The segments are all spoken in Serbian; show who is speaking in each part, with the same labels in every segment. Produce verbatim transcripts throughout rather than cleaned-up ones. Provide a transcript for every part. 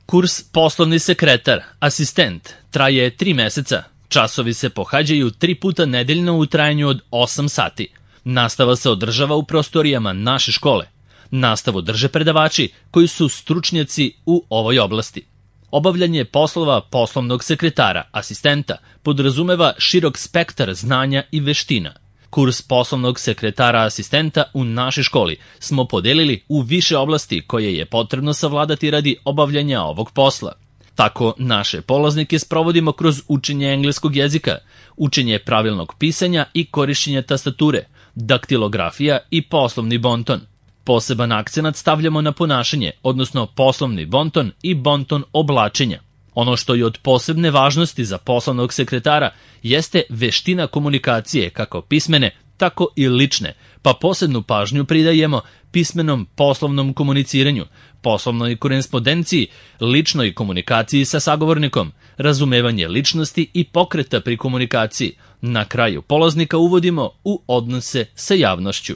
Speaker 1: Kurs poslovni sekretar, asistent, traje tri meseca. Časovi se pohađaju tri puta nedeljno u trajanju od osam sati. Nastava se održava u prostorijama naše škole. Nastavu drže predavači koji su stručnjaci u ovoj oblasti. Obavljanje poslova poslovnog sekretara, asistenta, podrazumeva širok spektar znanja i veština. Kurs poslovnog sekretara asistenta u našoj školi smo podelili u više oblasti koje je potrebno savladati radi obavljanja ovog posla. Tako naše polaznike sprovodimo kroz učenje engleskog jezika, učenje pravilnog pisanja i korišćenja tastature, daktilografija i poslovni bonton. Poseban akcenat stavljamo na ponašanje, odnosno poslovni bonton i bonton oblačenja. Ono što je od posebne važnosti za poslovnog sekretara jeste veština komunikacije, kako pismene, tako i lične, pa posebnu pažnju pridajemo pismenom poslovnom komuniciranju, poslovnoj korespondenciji, ličnoj komunikaciji sa sagovornikom, razumevanje ličnosti i pokreta pri komunikaciji. Na kraju polaznika uvodimo u odnose sa javnošću.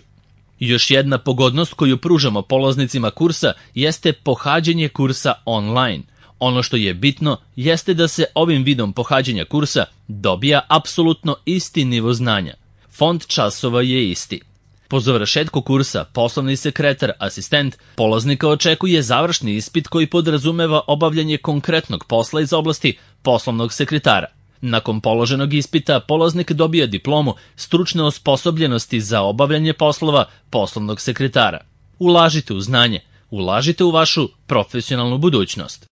Speaker 1: Još jedna pogodnost koju pružamo polaznicima kursa jeste pohađanje kursa online. Ono što je bitno jeste da se ovim vidom pohađanja kursa dobija apsolutno isti nivo znanja. Fond časova je isti. Po završetku kursa poslovni sekretar, asistent, polaznika očekuje završni ispit koji podrazumeva obavljanje konkretnog posla iz oblasti poslovnog sekretara. Nakon položenog ispita, polaznik dobija diplomu stručne osposobljenosti za obavljanje poslova poslovnog sekretara. Ulažite u znanje, ulažite u vašu profesionalnu budućnost.